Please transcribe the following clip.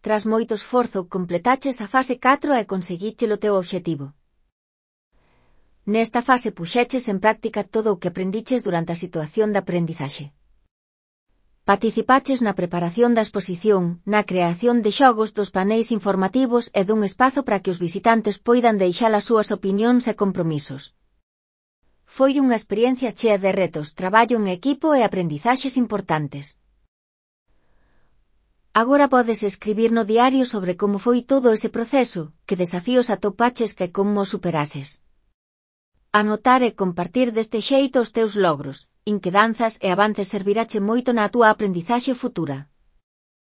tras moito esforzo, completaches a fase 4 e conseguiches o teu obxectivo. Nesta fase puxeches en práctica todo o que aprendiches durante a situación de aprendizaxe. Participaches na preparación da exposición, na creación de xogos, dos paneis informativos e dun espazo para que os visitantes poidan deixar as súas opinións e compromisos. Foi unha experiencia chea de retos, traballo en equipo e aprendizaxes importantes. Agora podes escribir no diario sobre como foi todo ese proceso, que desafíos atopaches e como os superases. Anotar e compartir deste xeito os teus logros, inquedanzas e avances servirache moito na túa aprendizaxe futura.